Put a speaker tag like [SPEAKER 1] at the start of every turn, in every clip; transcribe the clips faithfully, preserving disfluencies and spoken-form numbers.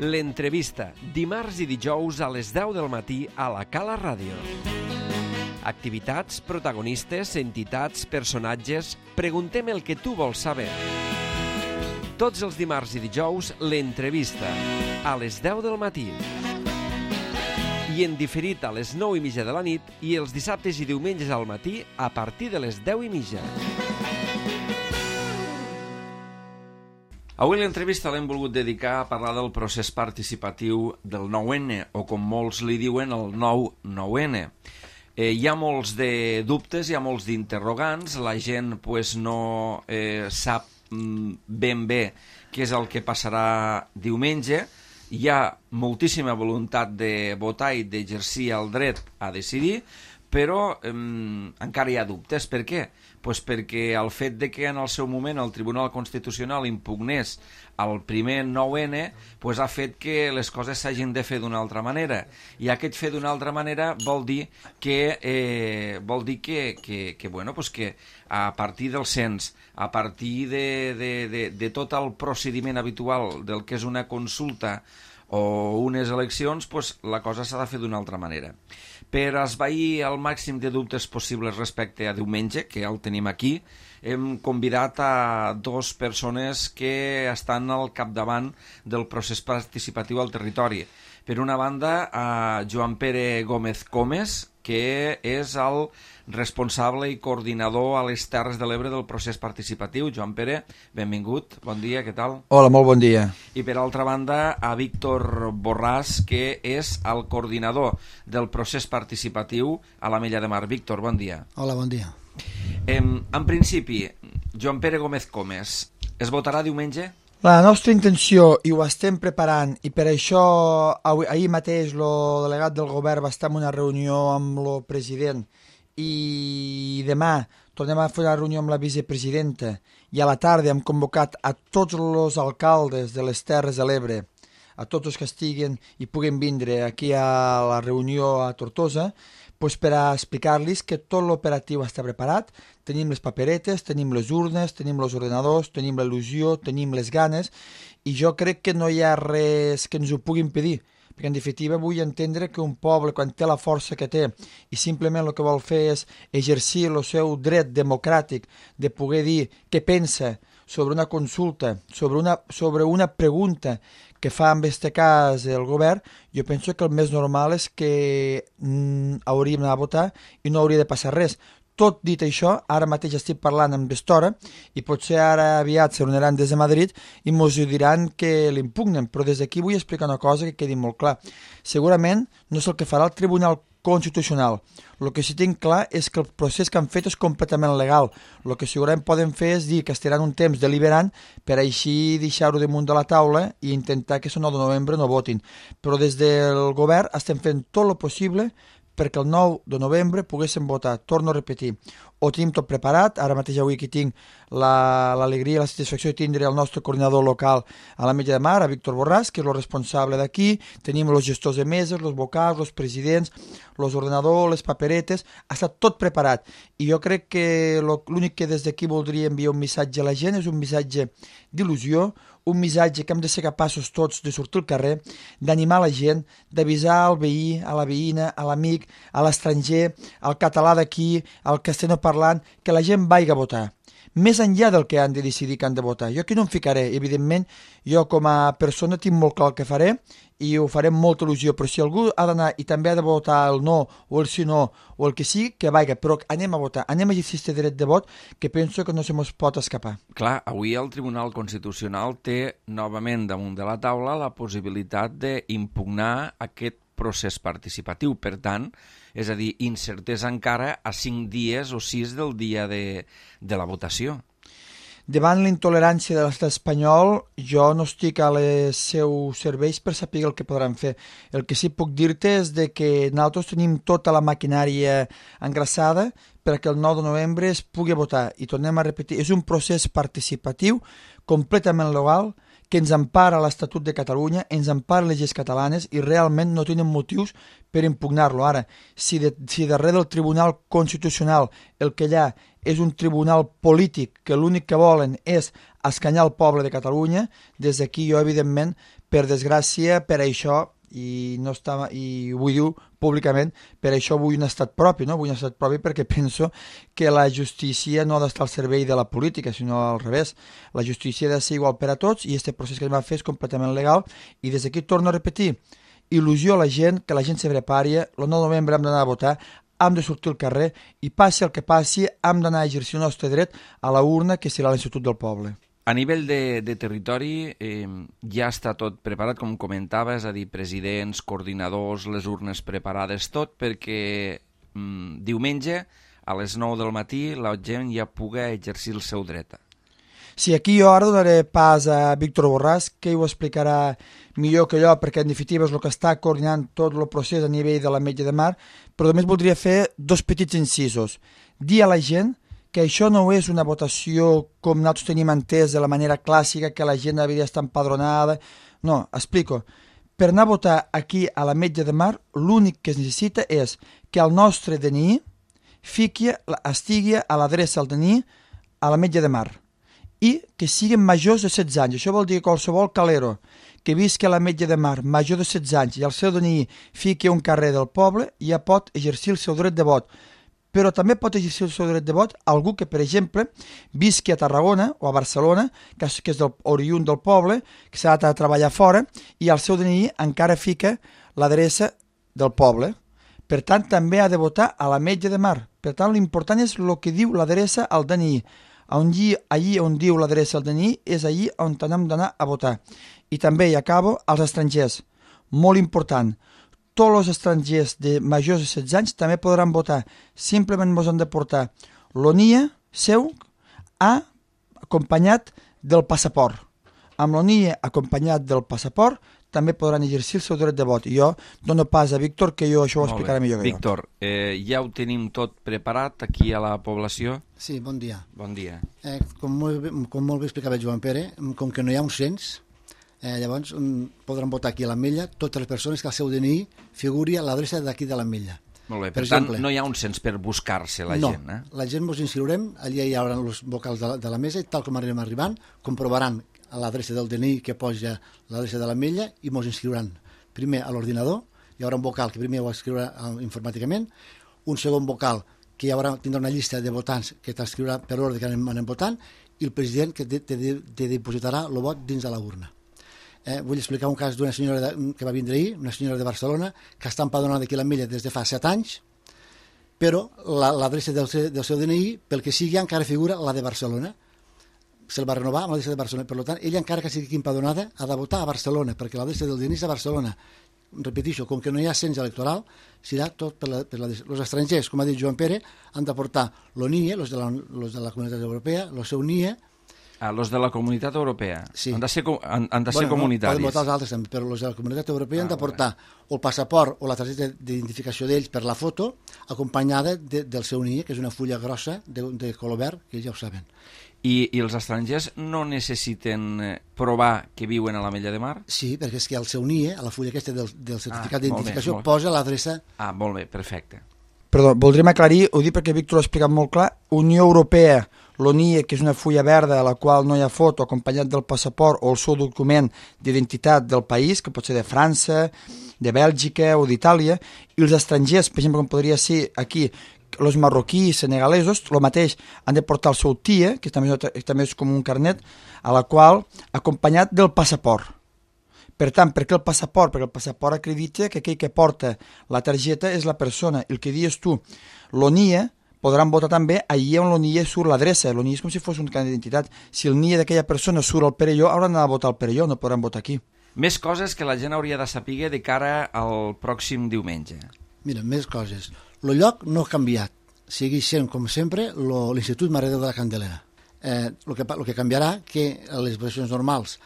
[SPEAKER 1] L'entrevista, dimarts i dijous a les deu del matí a la Cala Ràdio. Activitats, protagonistes, entitats, personatges... Preguntem el que tu vols saber. Tots els dimarts i dijous, l'entrevista, a les deu del matí. I en diferit a les nou i mitja de la nit i els dissabtes i diumenges al matí a partir de les deu i mitja. Avui l'entrevista l'hem volgut dedicar a parlar del procés participatiu del nou ene, o com molts li diuen, el nou nou ene. Eh, hi ha molts de dubtes, hi ha molts d'interrogants, la gent pues, no eh, sap mm, ben bé què és el que passarà diumenge. Hi ha moltíssima voluntat de votar i d'exercir el dret a decidir, però eh, encara hi ha dubtes. Per què? Pues perquè el fet de que en el seu moment el Tribunal Constitucional impugnés el primer nou ene pues ha fet que les coses s'hagin de fer d'una altra manera. I aquest fer d'una altra manera vol dir que, eh, vol dir que, que, que, bueno, pues que a partir del cens, a partir de, de, de, de tot el procediment habitual del que és una consulta o unes eleccions, pues, la cosa s'ha de fer d'una altra manera. Per esvair el màxim de dubtes possibles respecte a diumenge, que ja el tenim aquí, hem convidat a dues persones que estan al capdavant del procés participatiu al territori. Per una banda, a Joan Pere Gómez Comes, que és el responsable i coordinador a les Terres de l'Ebre del procés participatiu. Joan Pere, benvingut, bon dia, què tal?
[SPEAKER 2] Hola, molt bon dia.
[SPEAKER 1] I per altra banda, a Víctor Borràs, que és el coordinador del procés participatiu a l'Ametlla de Mar. Víctor, bon dia.
[SPEAKER 3] Hola, bon dia.
[SPEAKER 1] Eh, en principi, Joan Pere Gómez Comes, es votarà diumenge?
[SPEAKER 2] La nostra intenció, i ho estem preparant, i per això avui, ahir mateix el delegat del govern va estar en una reunió amb el president i demà tornem a fer una reunió amb la vicepresidenta i a la tarda hem convocat a tots els alcaldes de les Terres de l'Ebre, a tots els que estiguen i puguen vindre aquí a la reunió a Tortosa, pues per a explicar-los que tot l'operatiu està preparat, tenim les paperetes, tenim les urnes, tenim els ordenadors, tenim la il·lusió, tenim les ganes, i jo crec que no hi ha res que ens ho pugui impedir, perquè en definitiva vull entendre que un poble, quan té la força que té i simplement el que vol fer és exercir el seu dret democràtic de poder dir què pensa sobre una consulta, sobre una, sobre una pregunta que fa en aquest cas el govern, jo penso que el més normal és que mm, hauríem d'anar a votar i no hauria de passar res. Tot dit això, ara mateix estic parlant amb estora i potser ara aviat se reuniran des de Madrid i ens diran que l'impugnen, però des d'aquí vull explicar una cosa que quedi molt clar. Segurament no és el que farà el Tribunal Constitucional. El que sí tinc clar és que el procés que han fet és completament legal. El que segurament poden fer és dir que estaran un temps deliberant per així deixar-ho damunt de la taula i intentar que el nou de novembre no votin. Però des del govern estem fent tot el possible perquè el nou de novembre poguéssim votar. Torno a repetir, ho tenim tot preparat, ara mateix avui aquí tinc l'alegria i la satisfacció de tindre el nostre coordinador local a l'Ametlla de Mar, a Víctor Borràs, que és el responsable d'aquí, tenim els gestors de meses, els vocals, els presidents, els ordenadors, les paperetes, ha estat tot preparat. I jo crec que l'únic que des d'aquí voldria enviar un missatge a la gent és un missatge d'il·lusió, un missatge que hem de ser capaços tots de sortir al carrer, d'animar la gent, d'avisar al veí, a la veïna, a l'amic, a l'estranger, al català d'aquí, al castellano parlant, que la gent vagi a votar. Més enllà del que han de decidir que han de votar. Jo aquí no em ficaré, evidentment, jo com a persona tinc molt clar el que faré i ho faré amb molta il·lusió, però si algú ha d'anar i també ha de votar el no o el sí no o el que sigui, que vagi, però anem a votar, anem a exercir aquest dret de vot que penso que no se mos pot escapar.
[SPEAKER 1] Clar, avui el Tribunal Constitucional té novament damunt de la taula la possibilitat d'impugnar aquest procés participatiu. Per tant, és a dir, incertesa encara a cinc dies o sis del dia de, de la votació.
[SPEAKER 2] Davant la intolerància de l'estat espanyol, jo no estic a les seus serveis per saber el que podran fer. El que sí puc dir-te és de que nosaltres tenim tota la maquinària engraçada perquè el nou de novembre es pugui votar. I tornem a repetir, és un procés participatiu completament legal que ens empara l'Estatut de Catalunya, ens empara les lleis catalanes i realment no tenen motius per impugnar-lo. Ara, si, de, si darrere del Tribunal Constitucional el que hi ha és un tribunal polític que l'únic que volen és escanyar el poble de Catalunya, des d'aquí jo, evidentment, per desgràcia, per això, i no està, i ho vull dir públicament, per això vull un estat propi, no? Vull un estat propi perquè penso que la justícia no ha d'estar al servei de la política, sinó al revés. La justícia ha de ser igual per a tots i aquest procés que hem de fer és completament legal i des d'aquí torno a repetir, il·lusió a la gent, que la gent se prepari, el nou de novembre hem d'anar a votar, hem de sortir al carrer i passi el que passi, hem d'anar a exercir el nostre dret a la urna que serà l'Institut del Poble.
[SPEAKER 1] A nivell de, de territori eh, ja està tot preparat, com comentava, és a dir, presidents, coordinadors, les urnes preparades, tot perquè mm, diumenge a les nou del matí la gent ja pugui exercir el seu dret.
[SPEAKER 2] Sí, aquí jo ara donaré pas a Víctor Borràs, que ho explicarà millor que jo, perquè en definitiva és el que està coordinant tot el procés a nivell de l'Ametlla de Mar, però només voldria fer dos petits incisos. Dir a la gent que això no és una votació com nosaltres tenim entès de la manera clàssica, que la gent hauria d'estar empadronada. No, explico. Per anar a votar aquí a l'Ametlla de Mar, l'únic que es necessita és que el nostre D N I fiqui, estigui a l'adreça del D N I a l'Ametlla de Mar i que siguin majors de setze anys. Això vol dir que qualsevol calero que visqui a l'Ametlla de Mar major de setze anys i el seu D N I fiqui a un carrer del poble ja pot exercir el seu dret de vot. Però també pot exercir el seu dret de vot algú que, per exemple, visqui a Tarragona o a Barcelona, que és, que és del, oriünd del poble, que s'ha de treballar fora, i el seu D N I encara fica l'adreça del poble. Per tant, també ha de votar a l'Ametlla de Mar. Per tant, l'important és el que diu l'adreça al D N I. Allí, allí on diu l'adreça al D N I és allí on hem d'anar a votar. I també, i acabo, als estrangers. Molt important. Tots els estrangers de majors de setze anys també podran votar. Simplement ens han de portar l'O N I E seu a, acompanyat del passaport. Amb l'O N I E acompanyat del passaport també podran exercir el seu dret de vot. I jo dono pas a Víctor, que jo això ho explicaré millor que jo.
[SPEAKER 1] Víctor, eh, ja ho tenim tot preparat aquí a la població?
[SPEAKER 3] Sí, bon dia.
[SPEAKER 1] Bon dia.
[SPEAKER 3] Eh, com, molt bé, com molt bé explicava Joan Pere, com que no hi ha un cens, Eh, llavors um, podran votar aquí a l'Ametlla totes les persones que al seu D N I figuri a l'adreça d'aquí de l'Ametlla.
[SPEAKER 1] Molt bé, per, per tant exemple, no hi ha un cens per buscar-se la
[SPEAKER 3] no,
[SPEAKER 1] gent, eh?
[SPEAKER 3] No, la gent ens inscriurem, allà hi haurà els vocals de la, de la mesa i tal com arribem arribant, comprovaran a l'adreça del D N I que posa l'adreça de l'Ametlla i ens inscriuran primer a l'ordinador, hi haurà un vocal que primer ho escriurà informàticament, un segon vocal que hi haurà, tindrà una llista de votants que t'escriurà per l'ordre que anem, anem votant i el president que te, te, te dipositarà el vot dins de la urna. Eh, vull explicar un cas d'una senyora de, que va vindre ahir, una senyora de Barcelona, que està empadronada aquí a l'Ametlla des de fa set anys, però l'adreça la, del, seu, del seu D N I, pel que sigui, encara figura la de Barcelona. Se'l va renovar amb l'adreça de Barcelona. Per tant, ella, encara que sigui aquí empadronada, ha de votar a Barcelona, perquè l'adreça del D N I és a Barcelona. Repeteixo, com que no hi ha cens electoral, serà tot per la, per la... Els estrangers, com ha dit Joan Pere, han de portar l'O N I E, els de la, los de la Comunitat Europea, el seu N I E.
[SPEAKER 1] Ah, los de la Comunitat Europea.
[SPEAKER 3] Sí.
[SPEAKER 1] Han de ser, han, han de ser
[SPEAKER 3] bueno,
[SPEAKER 1] comunitaris.
[SPEAKER 3] No, poden votar els altres també, però els de la Comunitat Europea ah, han de portar
[SPEAKER 1] vale.
[SPEAKER 3] el passaport o la targeta d'identificació d'ells per la foto, acompanyada de, del seu N I E, que és una fulla grossa de, de color verd, que ja ho saben.
[SPEAKER 1] I, I els estrangers no necessiten provar que viuen a l'Ametlla de Mar?
[SPEAKER 3] Sí, perquè és que el seu N I E, a la fulla aquesta del, del certificat ah, d'identificació, posa l'adreça...
[SPEAKER 1] Ah, molt bé, perfecte.
[SPEAKER 2] Perdó, voldríem aclarir, ho dic perquè Víctor ho ha explicat molt clar, Unió Europea, l'O N I E, que és una fulla verda a la qual no hi ha foto, acompanyat del passaport o el seu document d'identitat del país, que pot ser de França, de Bèlgica o d'Itàlia, i els estrangers, per exemple, com podria ser aquí, els marroquís, senegalesos, el mateix, han de portar el seu T I E, que també, també és com un carnet, a la qual, acompanyat del passaport. Per tant, per què el passaport? Perquè el passaport acredita que aquell que porta la targeta és la persona. El que dius tu, l'O N I E, podran votar també allà on l'O N I E surt l'adreça. L'O N I E és com si fos un carnet d'identitat. Si el N I E d'aquella persona surt al Perelló, hauran d'anar a votar al Perelló, no podran votar aquí.
[SPEAKER 1] Més coses que la gent hauria de saber de cara al pròxim diumenge.
[SPEAKER 3] Mira, més coses. El lloc no ha canviat. Segueix sent, com sempre, l'Institut Mare de la Candelera. Eh, el, que, el que canviarà que a les votacions normals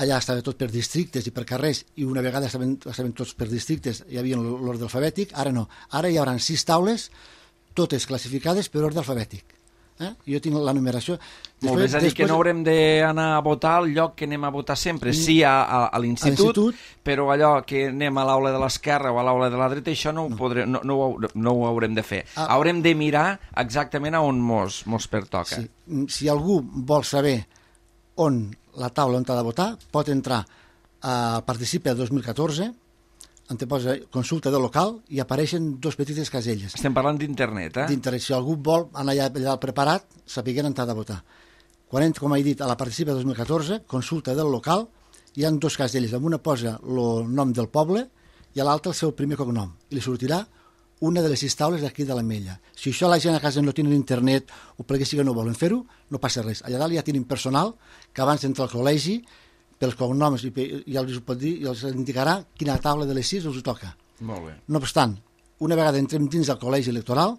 [SPEAKER 3] allà estava tot per districtes i per carrers, i una vegada estaven, estaven tots per districtes, hi havia l'ordre alfabètic, ara no. Ara hi haurà sis taules totes classificades per ordre alfabètic. Eh? Jo tinc la numeració.
[SPEAKER 1] Després, Molt bé, és a dir, després... que no haurem d'anar a votar al lloc que anem a votar sempre. Sí a, a, a l'institut, però allò que anem a l'aula de l'esquerra o a l'aula de la dreta, això no ho, podré, no, no, ho, no ho haurem de fer. Ah. Haurem de mirar exactament a on mos, mos pertoca.
[SPEAKER 3] Sí. Si algú vol saber on la taula on ha de votar, pot entrar a Participa dos mil catorze, on te posa consulta del local i apareixen dos petites caselles.
[SPEAKER 1] Estem parlant d'internet, eh?
[SPEAKER 3] D'internet. Si algú vol anar allà, allà preparat, sapiguem on ha de votar. Quan entra, com he dit, a la Participa dos mil catorze, consulta del local, hi ha dos caselles. En una posa el nom del poble i a l'altra el seu primer cognom. I li sortirà una de les sis taules d'aquí de l'Ametlla. Si això la gent a casa no tenen internet o perquè sí que no volen fer-ho, no passa res. Allà dalt ja tenim personal que abans d'entrar al col·legi pels cognoms i ja els pot dir i els indicarà quina taula de les sis els toca.
[SPEAKER 1] Molt bé.
[SPEAKER 3] No obstant, una vegada entrem dins del col·legi electoral,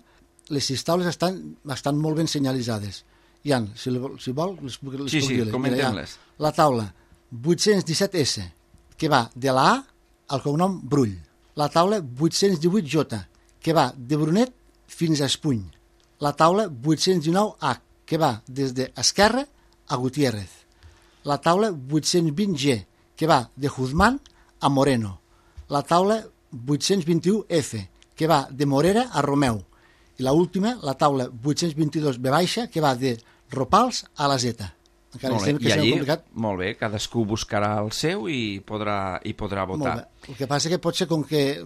[SPEAKER 3] les sis taules estan, estan molt ben senyalitzades. Hi ha, si, si vol, les puc, les
[SPEAKER 1] sí,
[SPEAKER 3] puc
[SPEAKER 1] sí,
[SPEAKER 3] dir-les.
[SPEAKER 1] comentem-les.
[SPEAKER 3] La taula vuit-cents disset essa, que va de la A al cognom Brull. La taula vuit-cents divuit jota, que va de Brunet fins a Espuny. La taula vuit-cents dinou hac, que va des d'Esquerra a Gutiérrez. La taula vuit-cents vint ge, que va de Juzmán a Moreno. La taula vuit-cents vint-i-u efa, que va de Morera a Romeu. I la última, la taula vuit-cents vint-i-dos be baixa, que va de Ropals a la Zeta. Encara
[SPEAKER 1] molt bé.
[SPEAKER 3] Que
[SPEAKER 1] I allí,
[SPEAKER 3] complicat.
[SPEAKER 1] molt bé, cadascú buscarà el seu i podrà, i podrà votar.
[SPEAKER 3] El que passa que pot ser com que,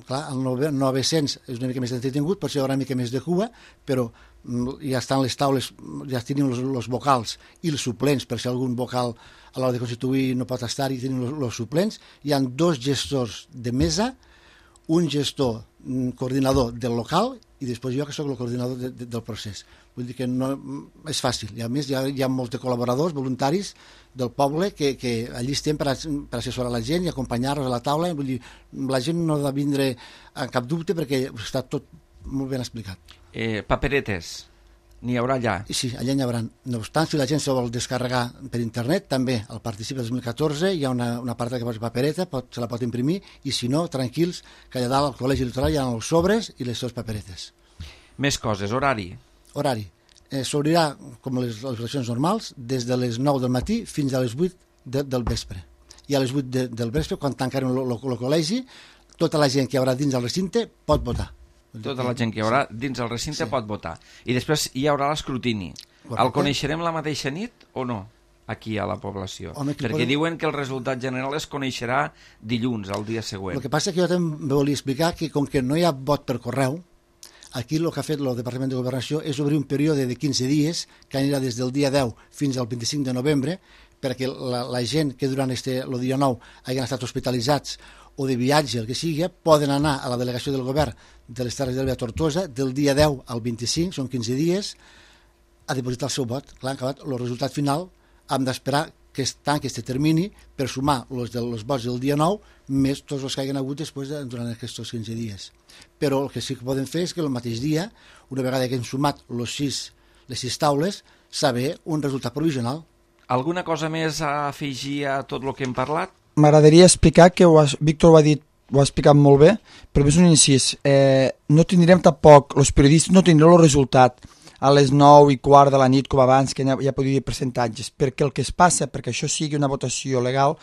[SPEAKER 3] clar, el nou-cents és una mica més entretingut, pot ser una mica més de cua, però ja estan les taules, ja tenim els vocals i els suplents, per si algun vocal a l'hora de constituir no pot estar i tenim els suplents. Hi ha dos gestors de mesa, un gestor coordinador del local i després jo que sóc el coordinador de, de, del procés. Vull dir que no, és fàcil. I a més hi ha, hi ha molts col·laboradors, voluntaris del poble que, que allí estem per, a, per assessorar la gent i acompanyar-los a la taula. Vull dir, la gent no ha de vindre a cap dubte perquè està tot molt ben explicat.
[SPEAKER 1] Eh, paperetes, n'hi haurà allà?
[SPEAKER 3] Sí, allà n'hi haurà. No obstant, si la gent se vol descarregar per internet, també al Participa dos mil catorze hi ha una, una part que posa papereta, pot, se la pot imprimir, i si no, tranquils, que allà dalt al col·legi electoral hi ha els sobres i les seves paperetes.
[SPEAKER 1] Més coses, horari?
[SPEAKER 3] Horari. Eh, S'obrirà, com les, les eleccions normals, des de les nou del matí fins a les vuit de, del vespre. I a les vuit de, del vespre, quan tancarem el col·legi, tota la gent que hi haurà dins del recinte pot votar.
[SPEAKER 1] Tota la gent que hi haurà dins el recinte sí. pot votar. I després hi haurà l'escrutini. El coneixerem la mateixa nit o no? Aquí a la població. Home, perquè pot... diuen que el resultat general es coneixerà dilluns, el dia següent.
[SPEAKER 3] El que passa que jo també volia explicar que com que no hi ha vot per correu, aquí el que ha fet el Departament de Governació és obrir un període de quinze dies que anirà des del dia deu fins al vint-i-cinc de novembre perquè la, la gent que durant este, el dia nou hagin estat hospitalitzats o de viatge, el que sigui, poden anar a la delegació del govern de les Terres de l'Ebre a Tortosa del dia deu al vint-i-cinc, són quinze dies, a depositar el seu vot. Clar, en acabat, el resultat final hem d'esperar que es tanqui aquest termini per sumar els, de, els vots del dia nou més tots els que hagin hagut després de, durant aquests quinze dies. Però el que sí que podem fer és que el mateix dia, una vegada que hem sumat los sis, les sis taules, saber un resultat provisional.
[SPEAKER 1] Alguna cosa més a afegir a tot el que hem parlat?
[SPEAKER 2] M'agradaria explicar que ho has, Víctor ho ha dit, ho ha explicat molt bé, però és un incís. Eh, no tindrem tampoc, els periodistes no tindrem el resultat a les nou i quart de la nit com abans, que ja podia dir percentatges, perquè el que es passa, perquè això sigui una votació legal,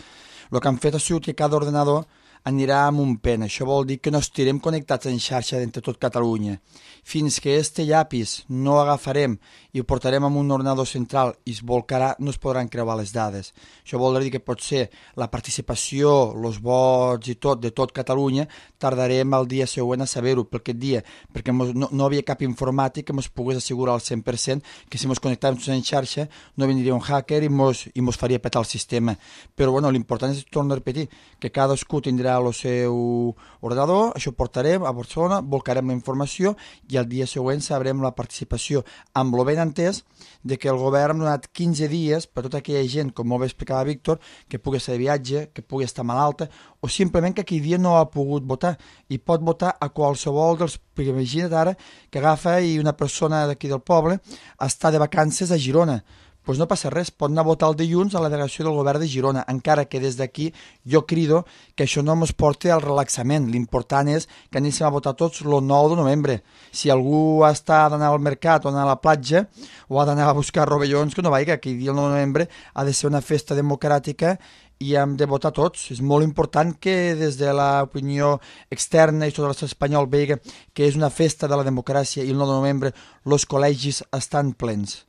[SPEAKER 2] el que han fet ha sigut que cada ordenador anirà amb un pen. Això vol dir que no estirem connectats en xarxa d'entre tot Catalunya. Fins que este llapis no agafarem i ho portarem amb un ordenador central i es volcarà, no es podran creuar les dades. Això vol dir que pot ser la participació, els vots i tot de tot Catalunya, tardarem el dia següent a saber-ho per aquest dia, perquè mos, no, no havia cap informàtic que ens pogués assegurar al cent per cent que si ens connectàvem en xarxa no vindria un hacker i mos, i mos faria petar el sistema. Però bueno, l'important és, torno a repetir, que cadascú tindrà el seu ordenador, això ho portarem a Barcelona, volcarem la informació i el dia següent sabrem la participació, amb lo ben entès de que el govern ha donat quinze dies per tota aquella gent, com molt bé explicava Víctor, que pugui estar de viatge, que pugui estar malalta, o simplement que aquell dia no ha pogut votar, i pot votar a qualsevol dels... Perquè imagina't ara que agafa i una persona d'aquí del poble està de vacances a Girona, doncs no passa res, pot anar a votar el dilluns a la delegació del govern de Girona, encara que des d'aquí jo crido que això no ens porti al relaxament. L'important és que anem a votar tots el nou de novembre. Si algú està d'anar al mercat o anar a la platja o ha d'anar a buscar rovellons, que no vaiga, que el dia nou de novembre ha de ser una festa democràtica i hem de votar tots. És molt important que des de l'opinió externa i tot l'estat espanyol vegi que és una festa de la democràcia i el nou de novembre els col·legis estan plens.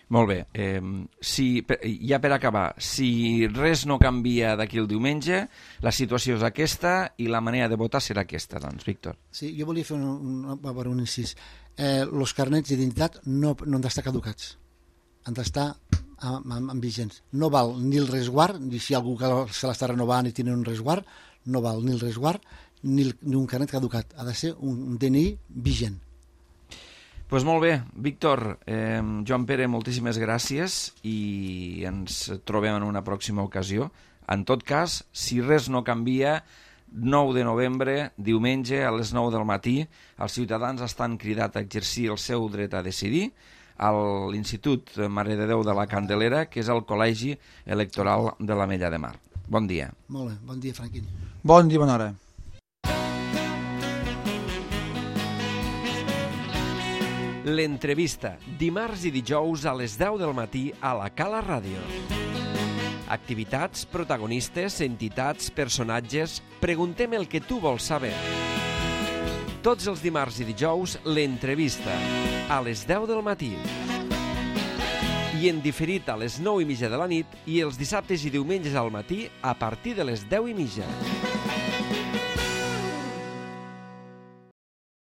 [SPEAKER 1] Molt bé. Eh, si, ja per acabar, si res no canvia d'aquí el diumenge, la situació és aquesta i la manera de votar serà aquesta, doncs, Víctor.
[SPEAKER 3] Sí, jo volia fer un, un, un, un incís. Eh, els carnets d'identitat no, no han d'estar caducats. Han d'estar amb, amb, amb vigents. No val ni el resguard, ni si algú que se l'està renovant i tiene un resguard, no val ni el resguard ni, el, ni un carnet caducat. Ha de ser un, un D N I vigent.
[SPEAKER 1] Doncs pues molt bé, Víctor, eh, Joan Pere, moltíssimes gràcies i ens trobem en una pròxima ocasió. En tot cas, si res no canvia, nou de novembre, diumenge, a les nou del matí, els ciutadans estan cridats a exercir el seu dret a decidir a l'Institut Mare de Déu de la Candelera, que és el Col·legi Electoral de l'Ametlla de Mar. Bon dia.
[SPEAKER 3] Molt bé, bon dia, Franquín.
[SPEAKER 2] Bon dia, bona hora.
[SPEAKER 4] L'entrevista, dimarts i dijous a les deu del matí a la Cala Ràdio. Activitats, protagonistes, entitats, personatges... Preguntem el que tu vols saber. Tots els dimarts i dijous, l'entrevista, a les deu del matí. I en diferit a les nou i mitja de la nit i els dissabtes i diumenges al matí a partir de les deu i mitja.